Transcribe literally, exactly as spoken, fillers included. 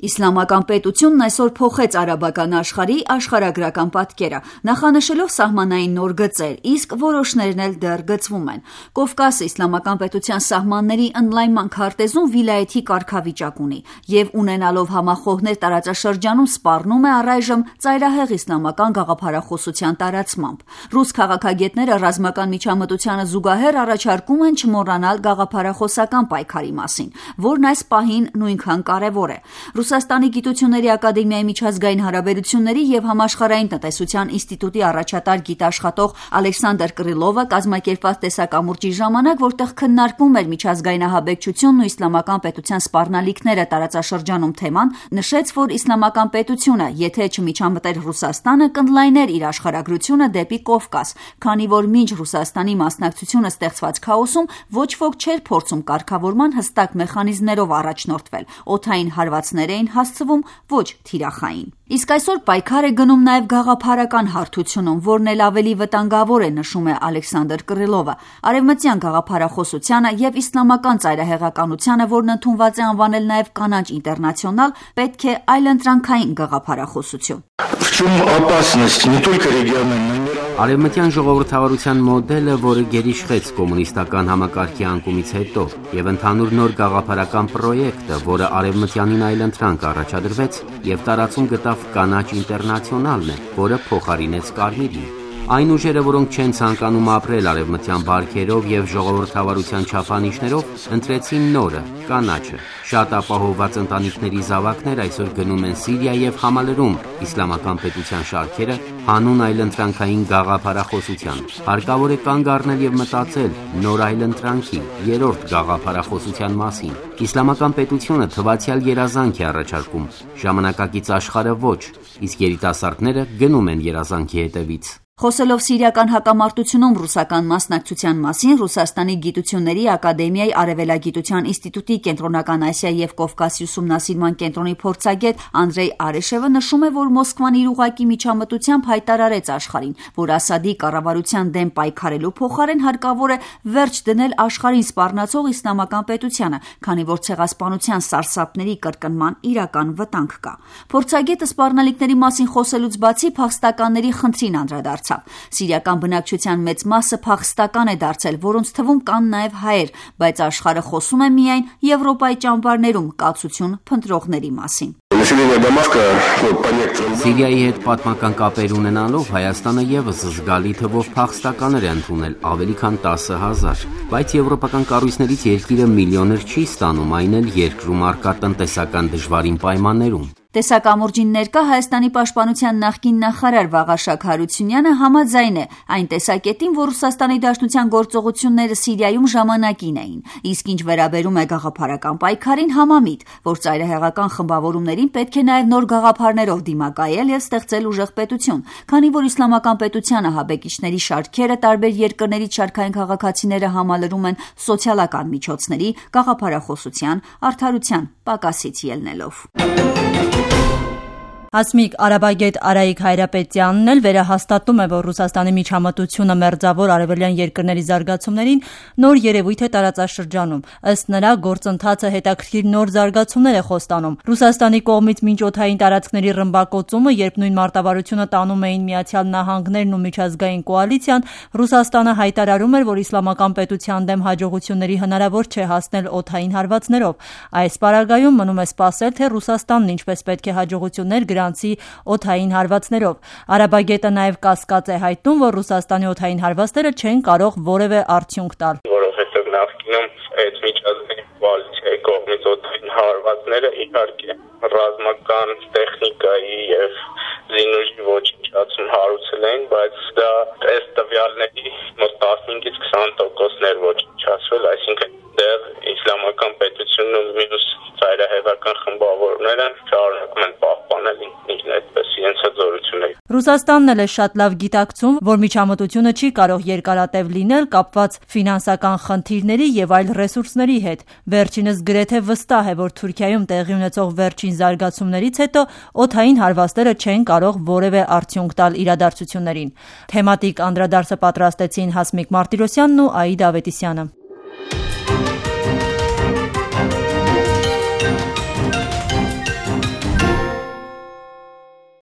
Իսլամական պետությունն այսօր փոխեց արաբական աշխարհի աշխարհագրական պատկերը, նախանշելով սահմանային նոր գծեր, իսկ որոշներն էլ դեռ գծվում են։ Կովկասը իսլամական պետության սահմանների ընդլայնման քարտեզում վիլայեթի կարգավիճակ ունի եւ ունենալով համախոհներ տարածաշրջանում սպառնում է առայժմ ծայրահեղ իսլամական գաղափարախոսության տարածմամբ։ Ռուս քաղաքագետները ռազմական միջամտությանը զուգահեռ առաջարկում են չմոռանալ գաղափարախոսական պայքարի մասին, որն այս պահին նույնքան կարևոր է։ Ռուսաստանի գիտությունների ակադեմիայի միջազգային հարաբերությունների եւ համաշխարհային տնտեսության ինստիտուտի առաջատար գիտաշխատող Ալեքսանդր Կրիլովը կազմակերպված տեսակամուրջի ժամանակ, որտեղ քննարկվում էր միջազգային ահաբեկչությունն ու իսլամական պետության սպառնալիքները տարածաշրջանում թեման, նշեց, որ իսլամական պետությունը, եթե չմիջամտեր Ռուսաստանը, կընդլայներ իր աշխարհագրությունը դեպի Կովկաս, քանի որ մինչ Ռուսաստանի մասնակցությունը ստեղծված քաոսում ոչ ոք չէր փորձում կարգավորման հստակ մեխանիզմներով առաջնորդվել, օդային հարվածներ էին հասցվում, ոչ թիրախային։ Իսկ այսօր պայքար է գնում նաև գաղափարական հարթությունում, որն էլ ավելի վտանգավոր է, նշում է Ալեքսանդր Կրիլովը, արևմտյան գաղափարախոսությանը եւ իսլամական ծայրահեղականությանը, որն ընդունված է անվանել նաև կանաչ ինտերնացիոնալ, պետք է այլընտրանքային գաղափարախոսություն։ Արևմտյան ժողովրդավարության մոդելը, որը գերիշխեց կոմունիստական համակարգի անկումից հետո, եւ ընդհանուր նոր գաղափարական պրոյեկտը, որը արևմտյանին այլընտրանք առաջադրվեց եւ տարածում գտավ կանաչ ինտերնացիոնալն է, որը փոխարինեց կարմիրին։ Այն ուժերը, որոնք չեն ցանկանում ապրել արևմտյան բարքերով եւ ժողովրդավարության չափանիշներով, ընտրեցին նորը, կանաչը։ Շատ ապահովված ընտանիքների զավակներ այսօր գնում են Սիրիա եւ համալրում իսլամական պետության շարքերը հանուն այլընտրանքային գաղափարախոսության։ Հարկավոր է կանգ առնել եւ մտածել նոր այլընտրանքի, երրորդ գաղափարախոսության մասին։ Իսլամական պետությունը թվացial երազանք է առաջարկում, ժամանակակից աշխարհը ոչ, իսկ երիտասարդները գնում են երազանքի հետևից։ Խոսելով սիրիական հակամարտությունում ռուսական մասնակցության մասին, Ռուսաստանի գիտությունների ակադեմիայի արևելագիտության ինստիտուտի կենտրոնական Ասիա եւ Կովկասի ուսումնասիրման կենտրոնի փորձագետ Անդրեյ Արեշևը նշում է, որ Մոսկվան իր ուղղակի միջամտությամբ հայտարարեց աշխարհին, որ Ասադի կառավարության դեմ պայքարելու փոխարեն հարկավոր է վերջ դնել աշխարհին սպառնացող իսլամական պետությանը, քանի որ ցեղասպանության սարսափների կրկնման իրական վտանգ կա։ Փորձագետը սպառնալիքների մասին խոսելուց բացի փախստականների խնդրին անդրադարձավ։ Սիրիական բնակչության մեծ մասը փախստական է դարձել, որոնց թվում կան նաև հայեր, բայց աշխարհը խոսում է միայն Եվրոպայի ճամբարներում կացություն փնտրողների մասին։ Սիրիայի հետ պատմական կապեր ունենալով Հայաստանը եւս զգալի թվով փախստականներ է ընդունել, ավելի քան տասը հազար, բայց եվրոպական կառույցներից երկիրը միլիոներ չի ստանում, այն էլ երկրում առկա տնտեսական դժվարին պայմաններում։ Տեսակամուրջին ներկա Հայաստանի պաշտպանության նախկին նախարար Վաղարշակ Հարությունյանը համաձայն է այն տեսակետին, որ Ռուսաստանի Դաշնության գործողությունները Սիրիայում ժամանակին էին, իսկ ինչ վերաբերում է գաղափարական պայքարին, համամիտ, որ ծայրահեղական խմբավորումներին պետք է նաև նոր գաղափարներով դիմակայել եւ ստեղծել ուժեղ պետություն, քանի որ իսլամական պետության ահաբեկիչների շարքերը տարբեր երկրներից շարքային քաղաքացիները համալրում են սոցիալական միջոցների, գաղափարախոսության, արդարության պակասից ելնելով։ Հասմիկ արաբագետ Արայիկ Հայրապետյանն էլ վերահաստատում է, որ Ռուսաստանի միջամտությունը մերձավոր արևելյան երկրների զարգացումներին նոր երևույթ է տարածաշրջանում։ Ըստ նրա, գործընթացը հետաքրքիր նոր զարգացումներ է խոստանում։ Ռուսաստանի կողմից մինչօդային տարածքների ռմբակոծումը, երբ նույն մարտավարությունը տանում էին Միացյալ Նահանգներն ու միջազգային կոալիցիան, Ռուսաստանը հայտարարում էր, որ իսլամական պետության դեմ հաջողությունների հնարավոր չէ հասնել օդային հարվածներով։ Այս պարագայում մնում է սպասել, թե Ռուսաստանն ինչպես պետք է հաջողություններ գրանցի օդային հարվածներով։ Արաբագետը նաև կասկած է հայտնում, որ Ռուսաստանի օդային հարվածները չեն կարող որևէ արդյունք տալ։ Որովհետև նախկինում այդ միջազգային կոալիցիայի կողմից օդային հարվածները իհարկե ռազմական տեխնիկայի եւ զինուժի ոչնչացում հարուցել էին, բայց դա ըստ տվյալների մոտ տասնհինգից քսան տոկոսներ ոչնչացվել, այսինքն դեռ իսլամական պետությունն ու մյուս ծայրահեղական խմբավորումները շարունակում են պահպանել ինքնին այդպես իրենց հզորությունները։ Ռուսաստանն էլ է շատ լավ գիտակցում, որ միջամտությունը չի կարող երկարատև լինել կապված ֆինանսական խնդիրների եւ այլ ռեսուրսների հետ։ Վերջինս գրեթե վստահ է, որ Թուրքիայում տեղի ունեցող վերջին զարգացումներից հետո օդային հարվածները չեն կարող որևէ արդյունք տալ իրադարձություններին։ Թեմատիկ անդրադարձը պատրաստեցին Հասմիկ Մարտիրոսյանն ու Աիդա Ավետիսյանը։